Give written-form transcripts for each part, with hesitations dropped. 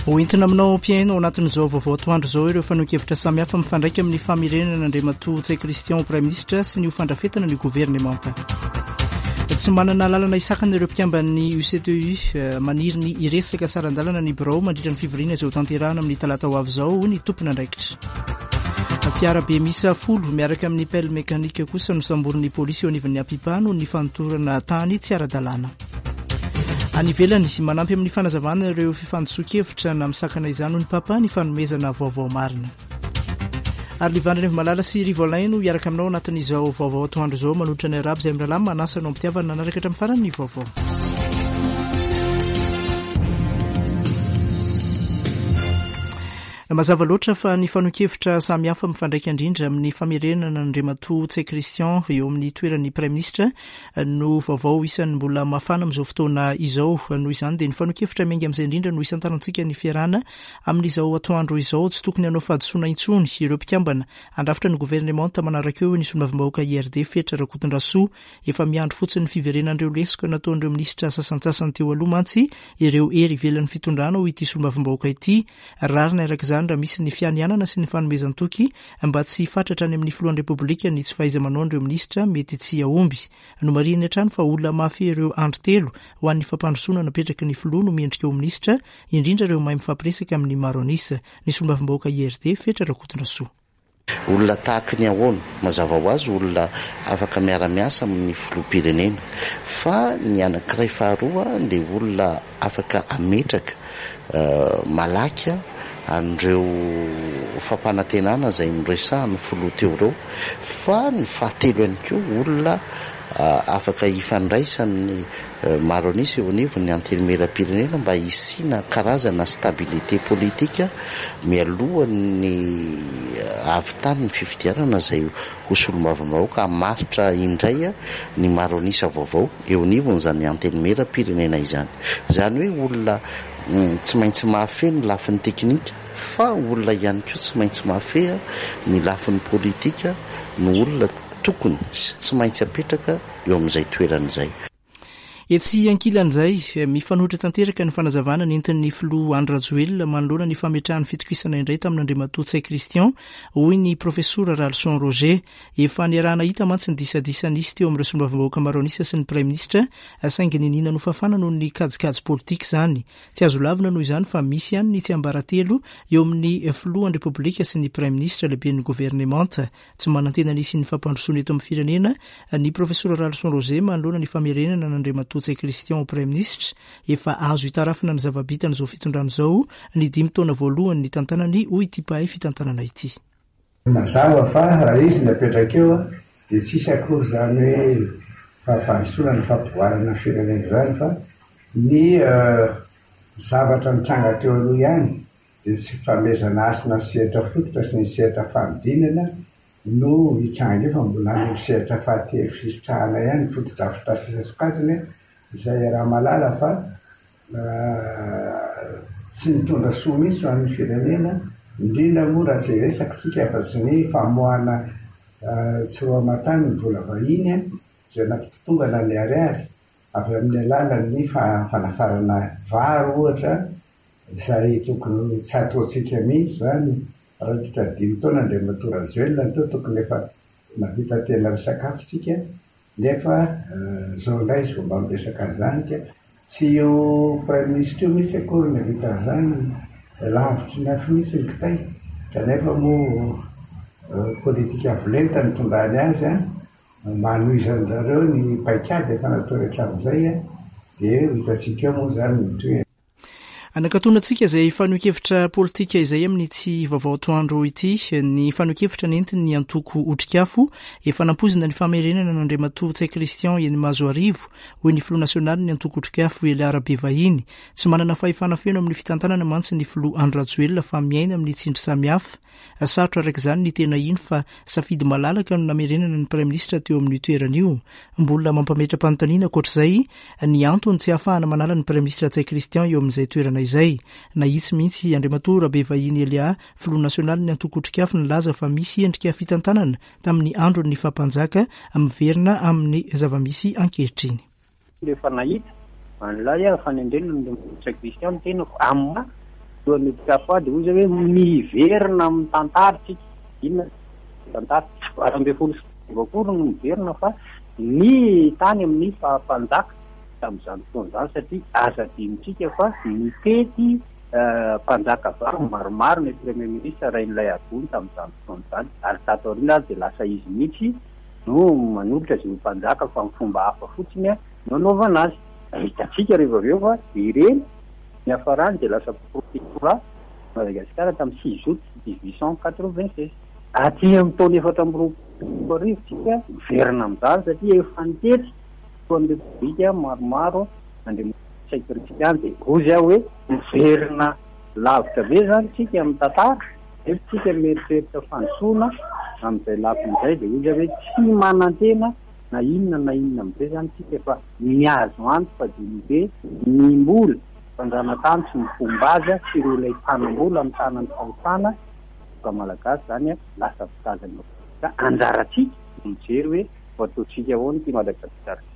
Ho entina aminao mpihaino ao anatin'izao vaovao atoandro izao ireo fanehoan-kevitra samihafa mifandraika amin'ny famerenana an'Andriamatoa Ntsay Christian ho Praiminisitra sy ny ho fandrafetana ny governemanta. Tsy manana lalana hisakana ireo mpikamban'ny UCTU eh, maniry ny hiresaka saran-dalana ny birao mandritra ny fivoriana izay hotanterahana amin'ny talata ho avy izao ny tompon'andraikitra. Fiara be miisa folo miaraka amin'ny pelle mécanique kosa nosamborin'ny polisy eo anivon'ny Apipa noho ny fanotorana tany tsy ara-dalàna. Any ivelany, manampy amin'ny fanazavana ireo fifandisoan-kevitra na misakana izany hoy ny Papa ny fanomezana vaovao marina. Ary Livandra Rivomalala sy Rivo Alain no hiaraka aminao anatin'izao vaovao atoandro izao manolotra ny arabo izay mirahalahy manasa anao am-pitiavana nanaraka hatramin'ny farany ny vaovao. Mazava loatra fa ny fanehoan-kevitra samihafa mifandraika indrindra amin'ny famerenana an'Andriamatoa Ntsay Christian eo amin'ny toeran'ny Praiminisitra no vaovao isan'ny mbola mafana amin'izao fotoana izao. Noho izany dia ny fanehoan-kevitra miainga amin'izay indrindra no isantarantsika ny fiarahana amin'izao atoandro izao. Tsy tokony hanao fahadisoana intsony ireo mpikambana handrafitra ny governemanta manaraka eo, hoy ny solombavambahoaka IRD Fetra Rakotondrasoa. Efa miandry fotsiny ny fiverenan'ireo lesoka nataon'ireo minisitra sasantsasany teo aloha mantsy ireo hery ivelan'ny fitondrana, hoy ity solombavambahoaka ity. Rariny araka izany raha misy ny fianianana sy ny fanomezan-toky mba tsy hifatratra any amin'ny filohan'ny Repoblika ny tsy fahaiza-manaon'ireo minisitra mety tsy hahomby. Nomarihiny hatrany fa olona mahafehy ireo andry telo ho an'ny fampandrosoana napetraky ny filoha no mendrika ho minisitra, indrindra ireo mahay mifampiresaka amin'ny maro an'isa. Ny solombavambahoaka IRD, Fetra Rakotondrasoa. Olona tahaky ny ahoana? Mazava ho azy olona afaka miara-miasa amin'ny filoham-pirenena. Fa ny anankiray faharoa dia olona afaka hametraka malaky an'ireo fampanantenana izay noresahan'ny filoha teo ireo. Fa ny fahatelo ihany koa olona afaka hifandraisan'ny maro an'isa eo anivon'ny Antenimierampirenena mba hisiana karazana stabilité politique mialohan'ny hahavitan'ny fifidianana izay ho solombavambahoaka hamaritra indray ny maro an'isa vaovao eo anivon'izany Antenimierampirenena izany. Izany hoe olona tsy maintsy mahafehy ny lafiny teknika fa olona ihany koa tsy maintsy mahafehy ny lafiny politika no olona tokony sy tsy maintsy apetraka eo amin'izay toerana izay. Etsy ankilan'izay, mifanohitra tanteraka ny fanazavana nentin'ny filoha Andry Rajoelina manoloana ny fametrahany fitokisana indray tamin'Andriamatoa Ntsay Christian, hoy ny Profesora Ralison Roger. Efa niaraha-nahita mantsy ny disadisa nisy teo amin'ireo solombavambahoaka maro an'isa sy ny Praiminisitra, saingy niniana nofafana noho ny kajikajy politika izany. Tsy azo lavina noho izany fa misy ihany ny tsiambaratelo eo amin'ny filohan'ny Repoblika sy ny Praiminisitra lehiben'ny governemanta. Tsy manantena ny hisian'ny fampandrosoana eto amin'ny firenena ny Profesora Ralison Roger manoloana ny famerenana an'Andriamatoa Ntsay Christian ho Praiminisitra. Efa azo itarafina ny zava-bitan'izao fitondrana izao ny dimy taona voalohany nitantanany, hoy ity mpahay fitantanana ity. Mazava fa raha izy no apetraka eo dia tsy hisy akory izany hoe fampandrosoana na fampivoarana ny firenena izany fa ny zavatra nitranga teo aloha ihany dia tsy fanomezana hasina ny sehatra fototra sy ny sehatra fanodinana no hitranga eo fa mbola any amin'ny sehatra fahatelo fisitrahana ihany ny fotodrafitrasa isan-tsokajiny izay iaraha-mahalala fa tsy nitondra soa mihitsy ho an'ny firenena, indrindra moa raha tsy hiresaka isika afa-tsy ny famoahana tsy roa aman-tany ny vola vahiny izay nampitotongana ny ariary avy amin'ny alalan'ny fanafarana vary ohatra Izay tokony tsy hataontsika mihitsy izany, raikitra dimy taona Andriamatoa Rajoelina no teo, tokony efa nahavita tena nisakafo tsika, nefa izao indray izy vao mba miresaka an'izany ka tsy io Praiminisitra io mihitsy akory no nahavita an'izany, lavitry ny afo mihitsy ny kitay, kanefa moa politika avo lenta no nitondrany azy an, mba hanohizan-dRareo ny paikady efa nataony hatramin'izay dia ho hitantsika eo moa izany ny tohiny. Anakatonantsika izay fanehoan-kevitra politika izay amin'ity vaovao atoandro ity. Ny fanehoan-kevitra nentin'ny antoko Otrikafo efa nampoizina ny famerenana an'Andriamatoa Ntsay Christian eny Mahazoarivo, hoy ny filoha nasionalin'ny antoko Otrikafo Elia Rabevahiny. Tsy manana fahefana feno amin'ny fitantanana mantsy ny filoha Andry Rajoelina fa miaina amin'ny tsindry samihafa. Sarotra araka izany ny tena hino fa safidy malalaka no namerenana ny praiminisitra teo amin'io toerana io. Mbola mampametra-panontaniana ankoatra izay ny antony tsy ahafahana manala ny praiminisitra Ntsay Christian eo amin'izay toerana izay. Nahitsy mihitsy Andriamatoa Rabevahiny Elia, filoha nasionalin'ny antoko Otrikafo nilaza fa misy endrika fitantanana tamin'ny andron'ny faha-mpanjaka miverina amin'ny zava-misy ankehitriny. Rehefa nahita an'ilay fanendrena an'i Ntsay Christian ny tenako, amin'ny maha. Filohan'ny Otrikafo dia hoy izy hoe miverina amin'ny tantara isika. Inona ny tantara? Tsy 2018 akory no miverina fa ny tany amin'ny faha mpanjaka tamin'izany fotoana izany satria aza adinontsika fa nitety mpanjaka vavy maromaro ny Premier ministre Rainilaiarivony tamin'izany fotoana izany ary tato aoriana ary dia lasa izy mihitsy no manolotra izay ho mpanjaka fa amin'ny fomba hafa fotsiny no anaovana azy. Hitantsika rehefa avy eo fa ireny niafarany dia lasa protectorat Madagasikara tamin'ny six août 1896. Aty amin'ny taona 2024 tsika miverina amin'izany satria efa nitety filohan'ny Repoblika maromaro Andriamatoa Ntsay Christian dia hozy aho hoe miverina lavitra be izany tsika amin'ny tantara nefa tsika mieritreritra fandrosoana amin'izay lafiny izay dia hozy aho hoe tsy manantena na inona na inona amin'izay izany tsika fa ny azo antoka dia ny hoe ny mbola fanjanantany sy ny fomba azy sy ireo ilay mpanambola mitana ny fahefana vahoaka malagasy izany lasa mpitazana ka anjarantsika no mijery hoe ho ataontsika ahoana ity Madagasikara ity.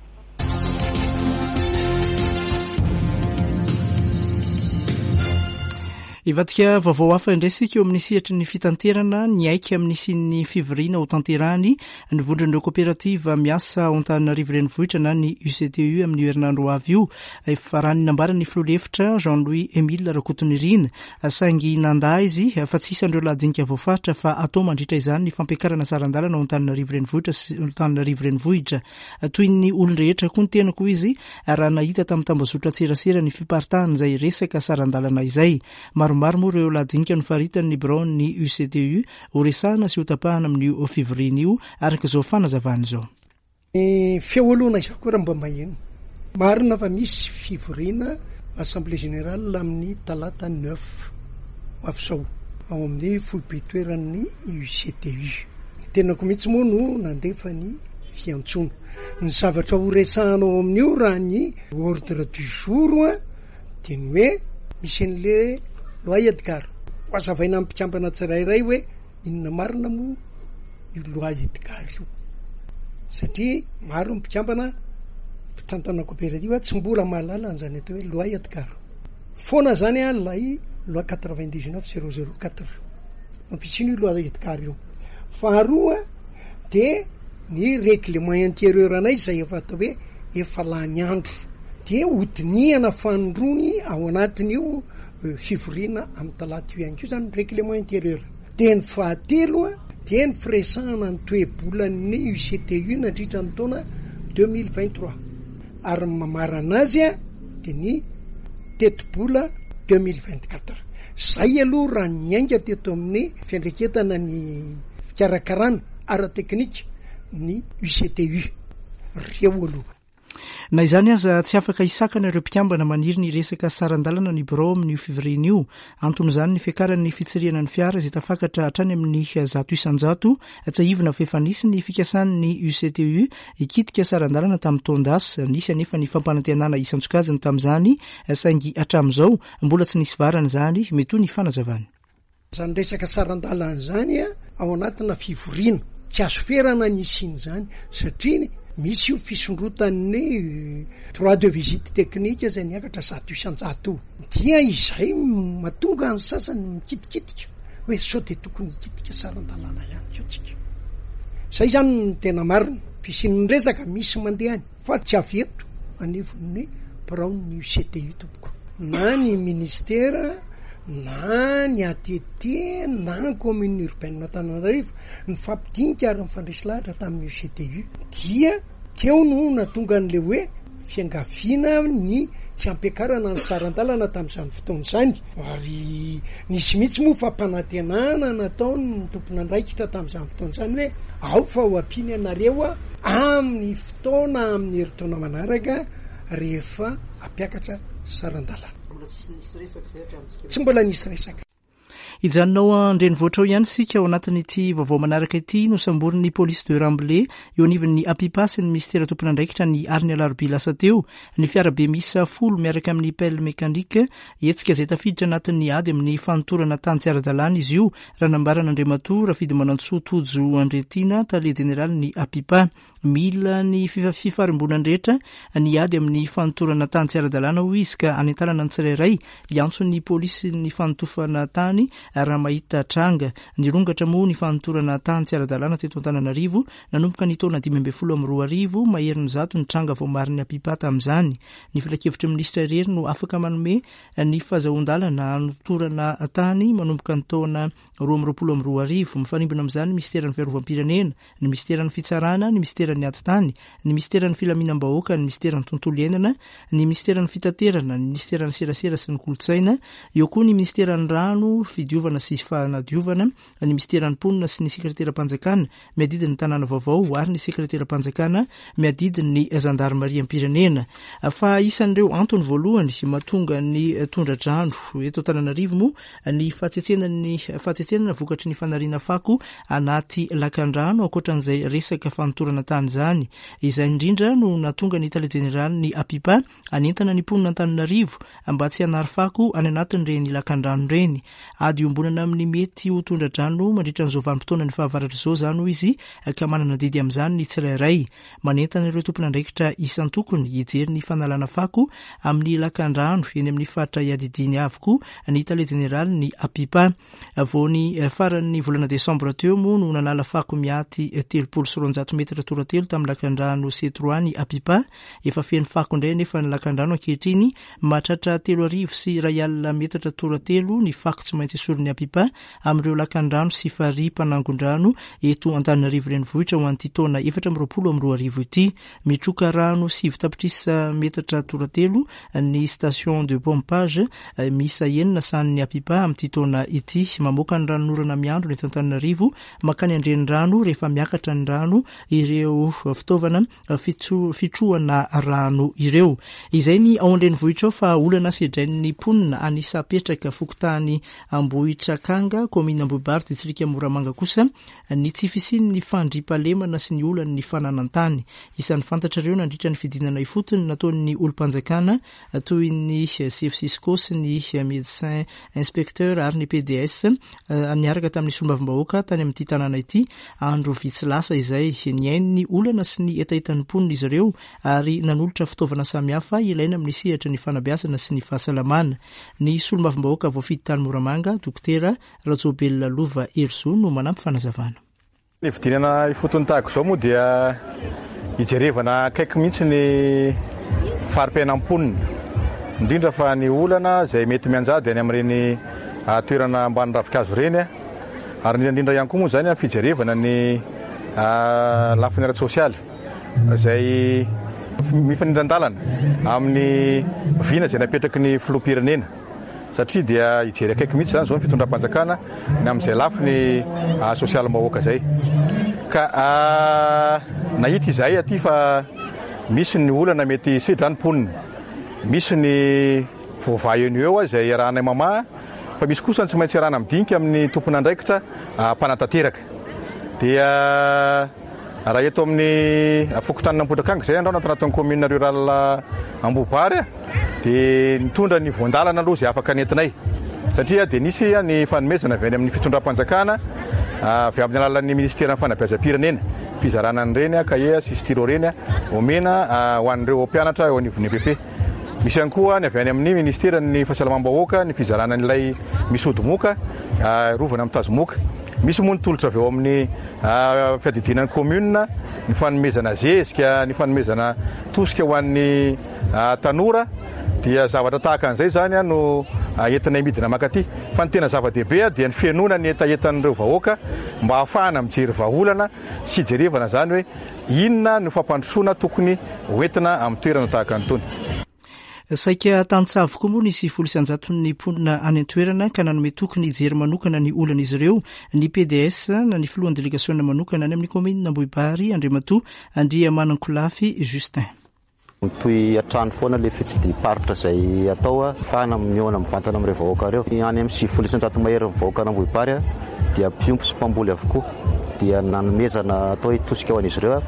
Hivadika vaovao hafa indray isika eo amin'ny sehatry ny fitanterana niaiky amin'ny hisian'ny fivoriana ho tanterahany ny vondron'ireo koperativa miasa ao Antananarivo Renivohitra na ny UCTU amin'io herinandro ho avy io. Efa raha ny nambaran'ny filoha lefitra Jean Louis Emile Rakotonirina saingy nandà izy fa tsy isan'ireo lahadinika voafaritra fa atao mandritra izany ny fampiakarana saran-dalana ao Antananarivo Renivohitra sy Antananarivo Renivohitra. Toy ny olon-drehetra koa ny tenako hoy izy raha nahita tamin'ny tambazotran-tserasera ny fiparitahan'izay resaka saran-dalana izay. Maromaro moa ireo lahadinika nofaritan'ny biraon'ny UCTU horesahana sy hotapahana amin'io fivoriana io araka izao fanazavana izao. Ny feo aloha na izaho koa raha mba maheno. Marina fa misy fivoriana Assemblée Générale amin'ny talata neuf ho avy izao ao amin'ny foibe toeran'ny UCTU. Ny tenako mihitsy moa no nandefa ny fiantsoana. Ny zavatra ho resahana ao amin'io raha ny ordre du jour dia ny hoe misy an'le loi Edgar. Ho hazavaina amin'ny mpikambana tsirairay hoe inona marina moa io loi Edgar io. Satria maro ny mpikambana mpitantana coopérative tsy mbola mahalala an'izany atao hoe loi Edgar. Foana zany ilay loi 99 004. Mampitsiny io loi Edgar io. Faharoa dia ny règlement intérieur anay izay efa atao hoe efa lany andro dia hodinihana fanindroany ao anatin'io fivoriana amin'ny talata io ihany koa izany ny règlement intérieur. Dia ny fahatelo dia ny firesahana ny toe-bolan'ny UCTU nandritra ny taona 2023 ary ny mamarana azy dia ny tetibola 2024. Izay aloha raha niainga teto amin'ny fiandraiketana ny fikarakarana ara-teknika ny UCTU. Ireo aloha. Na izany aza, tsy afaka hisakana ireo mpikambana maniry ny hiresaka saran-dalana ny birao amin'io fivoriana io. Anton'izany ny fiakaran'ny fitsirihana ny fiara izay tafakatra hatrany amin'ny 100%. Tsiahivina fa efa nisy ny fikasan'ny UCTU hikitika saran-dalana tamin'ny taon-dasa. Nisy anefa ny fampanantenana isan-tsokajiny tamin'izany saingy hatramin'izao mbola tsy nisy varany izany, mety ho ny fanazavany. Izany resaka saran-dalana izany ao anatina fivoriana, tsy azo ferana ny hisian'izany satria misy io fisondrotan'ny droit de visite technique izay niakatra 100% io. Dia izay mahatonga ny sasany mikitikitika hoe sao dia tokony hikitika saran-dalana ihany koa tsika. Izay izany no tena marina. Fisian'ny resaka misy mandeha any fa tsy avy eto anivon'ny biraon'ny UCTU tompoko. Na ny ministera na ny ATT na ny commune urbaine Antananarivo nifampidinika ary nifandresy lahatra tamin'ny UCTU dia teo no nahatonga an'ilay hoe fiangaviana ny tsy hampiakarana ny saran-dalana tamin'izany fotoana izany ary nisy mihitsy moa fampanantenana nataon'ny tompon'andraikitra tamin'izany fotoana izany hoe ao fa ho ampiana ianareo amin'ny fotoana amin'ny herintaona manaraka rehefa hampiakatra saran-dalana. Tsy mbola nisy resaka. Hijanona ao an-drenivohitra ao ihany isika ao anatin'ity vaovao manaraka ity. Nosamborin'ny polisy de Ramblay eo anivon'ny Apipa sy ny minisitera tompon'andraikitra ny alin'ny alarobia lasa teo ny fiarabe miisa folo miaraka amin'ny pelle mécanique. Hetsika izay tafiditra anatin'ny ady amin'ny fanotorana tany tsy ara-dalàna izy io, raha nambaran'Andriamatoa Rafidimanantsoa Tojo Andriatiana, tale jeneralin'ny Apipa. Mila ny fifarimbonan'ny rehetra ny ady amin'ny fanotorana tany tsy ara-dalàna, hoy izy, ka hanentanana ny tsirairay hiantso ny polisy ny fanotofana tany raha mahita tranga. Nirongatra moa ny fanotorana tany tsy ara-dalàna teto Antananarivo nanomboka ny taona 2015, maherin'ny zato ny tranga voamarin'ny Apipa tamin'izany. Ny filankevitry ny minisitra irery no afaka manome ny fahazahoan-dalana hanotorana tany manomboka ny taona 2022. Mifarimbona amin'izany ny minisiteran'ny fiarovam-pirenena, ny minisiteran'ny Fitsarana, ny minisiteran'ny Ady tany, ny minisiteran'ny Filaminam-bahoaka, ny minisiteran'ny Tontolo iainana, ny minisiteran'ny Fitaterana, ny minisiteran'ny Serasera sy ny Kolontsaina, eo koa ny minisiteran'ny Rano, Fidiovana sy Fanadiovana, ny minisiteran'ny Mponina sy ny Sekreteram-panjakana miadidy ny tanàna vaovao ary ny Sekreteram-panjakana miadidy ny Zandarimariam-pirenena. Fa isan'ireo antony voalohany mahatonga ny tondra-drano eto Antananarivo moa ny fahatsetsenan'ny fahatsetsenana vokatry ny fanariana fako anaty lakandrano ankoatran'izay resaka fanotorana tany izany. Izay indrindra no nahatonga ny tale jeneralin'ny Apipa hanentana ny mponina Antananarivo mba tsy hanary fako any anatin'ireny lakandrano ireny. Ady iombonana amin'ny mety ho tondra-drano mandritra an'izao vanim-potoanan'ny fahavaratra izao izany hoy izy ka manana adidy amin'izany ny tsirairay. Manentana ireo tompon'andraikitra isan-tokony hijery ny fanalana fako amin'ny lakandrano eny amin'ny faritra iadidiany avokoa ny tale jeneralin'ny Apipa. Vao ny faran'ny volana desambra teo moa no nanala fako miaty 230 metatra toratelo tamin'ny lakandrano C trois ny Apipa. Efa feno fako indray anefa ny lakandrano ankehitriny, mahatratra 3001 metatra toratelo ny fako tsy maintsy esorin'ny Apipa amin'ireo lakandrano sy farihy mpanangon-drano eto Antananarivo Renivohitra ho an'ity taona 2024 ity. Mitroka rano 9 tapitrisa metatra toratelo ny station de pompage miisa enina sahanin'ny Apipa amin'ity taona ity. Mamoaka ny ranonorana miandrona eto Antananarivo mankany an-drenirano rehefa miakatra ny rano ireo fitaovana fitrohana rano ireo. Izay ny ao an-drenivohitra ao fa olana sedrain'ny mponina any Sapetraka, fokontany Ambohitrakanga, kaominina Ambohibary, distrika Moramanga kosa ny tsy fisian'ny fandriampahalemana sy ny olan'ny fananan-tany. Isan'ny fantatrareo nandritra ny fidinana ifotony nataon'ny olom-panjakana toy ny sefo Cisco sy ny Médecin Inspecteur ary ny PDS niaraka tamin'ny solombavambahoaka tany amin'ity tanàna ity andro vitsy lasa izay. Nihaino ny olana sy ny hetahetan'ny mponina izy ireo ary nanolotra fitaovana samihafa ilaina amin'ny sehatra ny fanabeazana sy ny fahasalamana. Ny solombavambahoaka voafidy tany Moramanga, Dokotera Rajoelina Lova Herizo no manampy fanazavana. Ny fidinana ifotony tahaka izao moa dia hijerevana akaiky mihitsy ny fari-piainan'ny mponina, indrindra fa ny olana izay mety mianjady any amin'ireny toerana ambany ravinkazo ireny, ary indrindra indrindra ihany koa moa izany amin'ny fijerevana ny lafiny ara-tsosialy izay mifanindran-dalana amin'ny vina izay napetraky ny filoham-pirenena. Satria dia hijery akaiky mihitsy izany izao ny fitondram-panjakana ny amin'izay lafiny sosialim-bahoaka izay. Ka nahita izahay aty fa misy ny olana mety hisedra ny mponina. Misy ny voavaha eo no eo izay iarahanay mamaha fa misy kosa ny tsy maintsy iarahana midinika amin'ny tompon'andraikitra mpanatanteraka. Dia raha eto amin'ny fokontanin'Ambohidrakanga izay andao anatin'ny commune rurale Ambohibary, Dia nitondra ny voan-dalana aloha izay afaka nentinay satria dia nisy ny fanomezana avy any amin'ny fitondram-panjakana avy amin'ny alalan'ny minisiteran'ny fanabeazam-pirenena, fizarana an'ireny kahie sy stylo ireny omena ho an'ireo mpianatra eo anivon'ny EPP. Misy ihany koa ny avy any amin'ny minisiteran'ny fahasalamam-bahoaka ny fizarana an'ilay misy ody moka arovana amin'ny tazomoka. Misy moa ny tolotra avy ao amin'ny fiadidiana ny commune, ny fanomezana zezika, ny fanomezana tosika ho an'ny tanora dia zavatra tahaka an'izay izany no entinay midina mankaty. Fa ny tena zava-dehibe dia ny fihenoana ny hetahetan'ireo vahoaka mba hahafahana mijery vahaolana sy hijerevana izany hoe inona no fampandrosoana tokony hoentina amin'ny toerana tahaka an'itony. Saika tantsaha avokoa moa ny 90 isan-jaton'ny mponina any an-toerana ka nanome toky ny hijery manokana ny olan'izy ireo ny PDS na ny filohan'ny delegasiona manokana any amin'ny kaominina Ambohibary, Andriamatoa Andriamanankolafy Justin. Mitohy hatrany foana ilay fitsidiham-paritra izay atao ahafahana mihaona mivantana amin'ireo vahoaka ireo. Any amin'ny 90% maherin'ny vahoakan'Ambohibary dia mpiompy sy mpamboly avokoa. Dia nanomezana atao hoe tosika ho an'izy ireo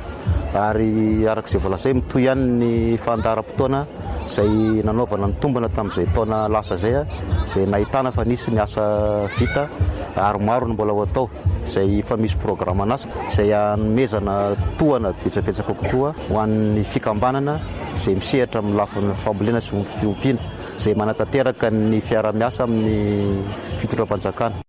ary araka izay voalaza hoe mitohy ihany ny fandaharam-potoana izay nanaovana ny tombana tamin'izay taona lasa izay, izay nahitana fa nisy ny asa vita ary maro ny mbola ho atao. Izay efa misy programan'asa izay hanomezana tohana betsabetsaka kokoa ho an'ny fikambanana izay misehatra amin'ny lafiny fambolena sy fiompiana, izay manatanteraka ny fiaraha-miasa amin'ny fitondram-panjakana.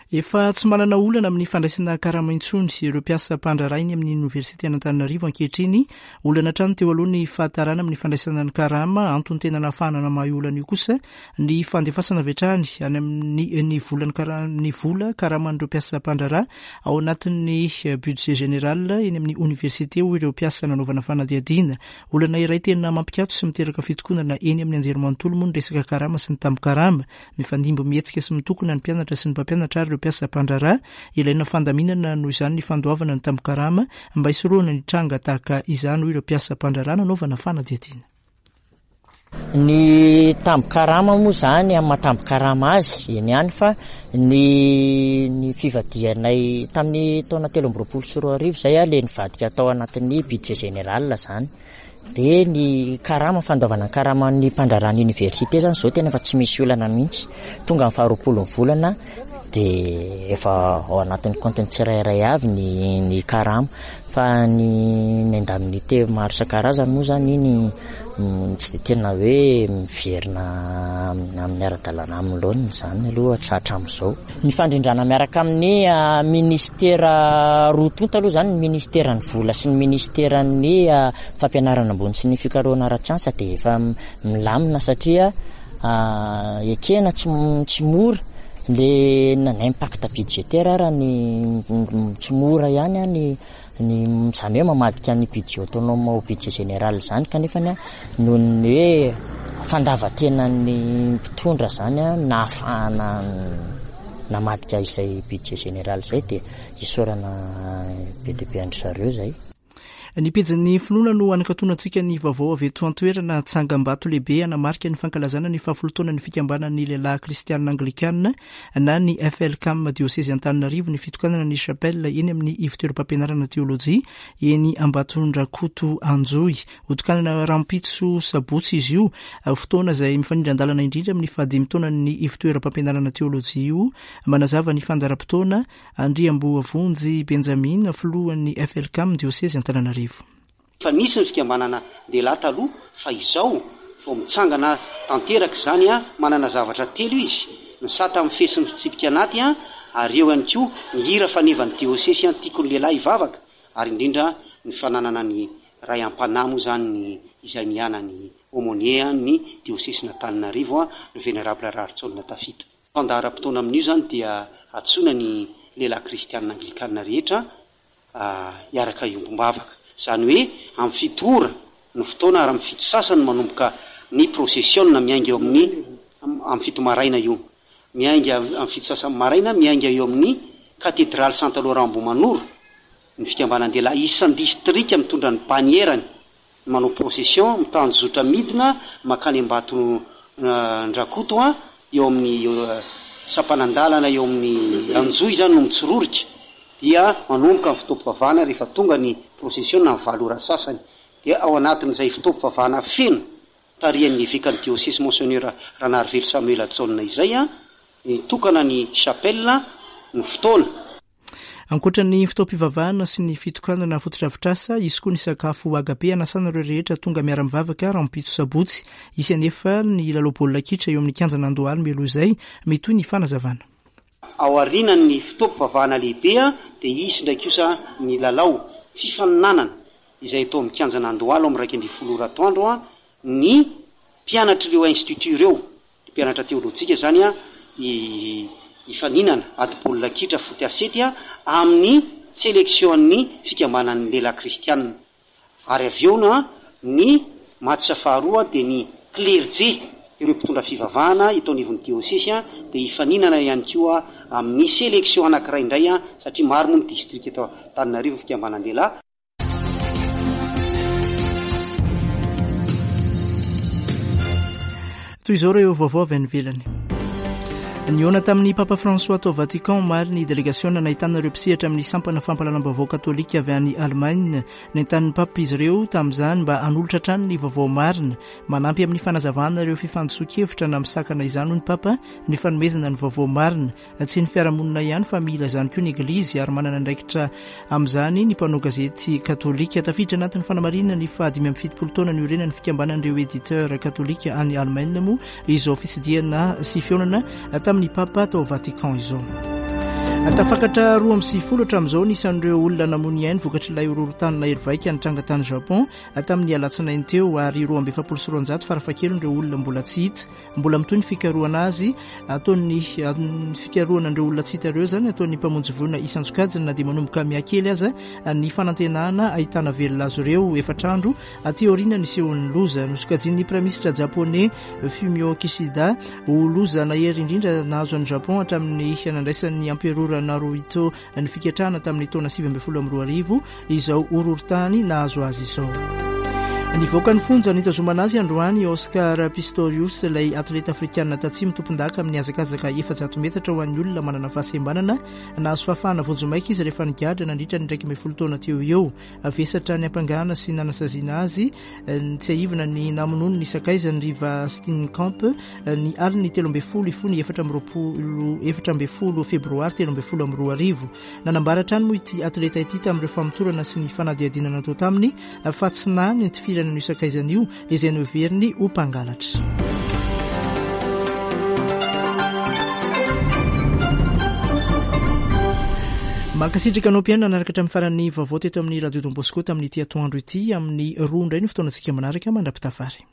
Efa tsy manana olana amin'ny fandraisana karama intsony ireo mpiasa mpandraharaha eny amin'ny oniversiten'Antananarivo ankehitriny. Olana hatrany teo aloha ny fahatarana amin'ny fandraisana ny karama. Antony tena nahafahana namaha io olana io kosa ny fandefasana avy hatrany any amin'ny ny volan'ny kara- ny vola karaman'ireo mpiasa mpandraharaha ao anatin'ny budget général eny amin'ny oniversite hoy ireo mpiasa nanaovana fanadihadiana. Olana iray tena mampikatso sy miteraka fitokonana eny amin'ny anjerimanontolo moa ny resaka karama sy ny tambin-karama. Mifandimby mihetsika sy mitokona ny mpianatra sy ny mpampianatra ary ireo mpiasa mpandraharaha. Ilaina fandaminana noho izany ny fandoavana ny tambin-karama mba hisorohana ny tranga tahaka izany, hoy ireo mpiasa mpandraharaha nanaovana fanadihadiana. Ny tambin-karama moa izany amin'ny maha tambin-karama azy, eny ihany fa ny ny fivadihanay tamin'ny taona 2023 izay ilay nivadika tao anatin'ny budget général izany. Dia ny karama, fandoavana ny karaman'ny mpandraharaha ny université zany zao tena efa tsy misy olana mihitsy. Tonga ny faharoapolo ny volana dia efa ao anatin'ny kaontiny tsirairay avy ny ny karama. Fa ny ny indemnité maro isan-karazany moa zany iny tsy dia tena hoe miverina amin'ny ara-dalàna amin'ny laoniny izany aloha hatramin'izao. Ny fandrindrana miaraka amin'ny minisitera roa tonta aloha izany, ny minisiteran'ny vola sy ny minisiteran'ny fampianarana ambony sy ny fikarohana ara-tsiansa dia efa milamina satria ekena tsy tsy mora le na impact budgétaire ara ny tsy mora ihany ny Ny izany hoe mamadika ny budget autonome ho budget général izany kanefa noho ny hoe fandavan-tenan'ny mpitondra izany nahafahana namadika izay budget général izay dia isaorana be dia be an-dry zareo izay. Ny pejin'ny finoana no hanakatonantsika ny vaovao avy eto an-toerana. Tsangambato lehibe hanamarika ny fankalazana ny fahafolo taonan'ny fikambanan'ny lehilahy kristianina anglikana na ny FLCAM Diosezy Antananarivo ny fitokanana ny chapelle eny amin'ny ivotoeram-pampianarana teolojia eny Ambatondrakoto Anjohy. Hotokanana rahampitso sabotsy izy io, fotoana izay mifanindran-dalana indrindra amin'ny fahadimy taonan'ny ivotoeram-pampianarana teolojia io. Manazava ny fandaharam-potoana Andriamboavonjy Benjamina, filohan'ny FLCAM Diosezy Antananarivo. Efa nisy ny fikambanana lehilahy taloha fa izao vao mitsangana tanteraka izany an, manana zavatra telo izy, ny sata mifehy sy ny fitsipika anaty an, ary eo ihany koa ny hira fanevan'ny diosesy an tiako ny lehilahy hivavaka, ary indrindra ny fananana ny ray am-panahy moa izany ny izay miana ny aumônier an ny diosesin'Antananarivo an, le Vénérable Raharitsaolona Tafita. Fandaharam-potoana amin'io izany dia antsoina ny lehilahy kristianina anglikana rehetra hiaraka hiombom-bavaka. Izany hoe amin'ny fito ora no fotoana ary amin'ny fito sasany manomboka ny prosesiona miainga eo amin'ny amin'ny fito maraina io. Miainga amin'ny fito sasany maraina miainga eo amin'ny Katedraly Santa Laurent Ambohimanoro ny fikambanan-dehilahy isan-distrika mitondra ny banierany manao procession mitanjozotra midina makany Ambatondrakoto an, eo amin'ny sampanan-dalana eo amin'ny Anjohy izany no mitsororika, dia manomboka ny fotoam-pivavahana rehefa tonga ny procession amin'ny valo ora sasany, dia ao anatin'izay fotoam-pivavahana feno tarihan'ny evekan'ny diosesy Monseigneur Ranarivelo Samuel Jaona izay an, nitokana ny chapelle ny fotoana. Ankoatra ny fotoam-pivavahana sy ny fitokanana fotodrafitrasa, hisy koa ny sakafo agape hanasana ireo rehetra tonga miara-mivavaka rahampitso sabotsy. Hisy anefa ny lalao baolina kitra eo amin'ny kianjan'Andohalo mialoha izay. Mitohy ny fanazavana. Aorianan'ny fotoam-pivavahana lehibe dia hisy indray kosa ny lalao fifaninanana izay atao amin'ny kianjan'Andohalo amin'ny 11 ora atoandro ny mpianatr'ireo institut ireo. Ny mpianatra teolojika izany hifaninana ady baolina kitra foot à sept amin'ny selection-n'ny fikambanan'ny lehilahy kristianina. Ary avy eo ny match faharoa dia ny klerje. Ireo mpitondra fivavahana eto anivon'ny diosesy dia hifaninana ihany koa amin'ny selection anankiray indray satria maro moa ny distrika eto Antananarivo fikambanan-dehilahy. Toy izao ireo vaovao avy any ivelany. Nihaona tamin'ny Papa François tao Vatican omaly ny delegasiona nahitana ireo mpisehatra amin'ny sampana fampahalalam-baovao katolika avy any Allemagne. Nentanin'ny Papa izy ireo tamin'izany mba hanolotra hatrany ny vaovao marina. Manampy amin'ny fanazavana ireo fifandisoan-kevitra na misakana izany hoy ny Papa ny fanomezana ny vaovao marina. Tsy ny fiarahamonina ihany fa mila izany koa ny Eglizy ary manana andraikitra amin'izany ny mpanao gazety katolika. Tafiditra anatin'ny fanamarinana ny faha 75 taona niorenan'ny fikambanan'ireo éditeur katolika any Allemagne moa izao fitsidihana sy fihaonana tamin'ny Papa tao Vatican izao. Tafakatra 92 hatramin'izao ny isan'ireo olona namoy ny ainy vokatr'ilay horohorontany nahery vaika nitranga tany Japon tamin'ny alatsinainy teo ary 242 farafahakeliny ireo olona mbola tsy hita. Mbola mitohy ny fikarohana azy ataon'ny fikarohana an'ireo olona tsy hita ireo izany ataon'ny mpamonjy voina isan-tsokajiny na dia manomboka mihakely aza ny fanantenana ahitana velona azy ireo efatra andro aty aoriana nisehoan'ny loza. Nosokajian'ny praiminisitra japoney Fumio Kishida ho loza nahery indrindra nahazo an'i Japon hatramin'ny nandraisan'ny amperora Naruhito ny fiketrahana tamin'ny taona 2019 izao horohorontany nahazo azy izao. Nivoaka ny fonja nitazomana azy androany i Oscar Pistorius, ilay atleta afrikanina tatsimo tompondaka amin'ny hazakazaka 400 metatra ho an'ny olona manana fahasembanana. Nahazo fahafahana vonjimaika izy rehefa nigadra nandritra ny 11 taona teo eo. Vesatra niampangana sy nanasaziana azy, tsiahivina ny namonoany ny sakaizany Riva Steenkamp ny alin'ny 13 hifoha ny 24 14 febroary 2013. Nanambara hatrany moa ity atleta ity tamin'ireo famotorana sy ny fanadihadiana natao taminy fa tsy nahy ny nitifirana an'io sakaizany io izay noheveriny ho mpangalatra. Mankasitraka anao mpihaino nanaraka hatramin'ny faran'ny vaovao teto amin'ny Radio Don Bosco tamin'ity atoandro ity. Amin'ny roa indray no fotoanantsika manaraka mandra-pitafary.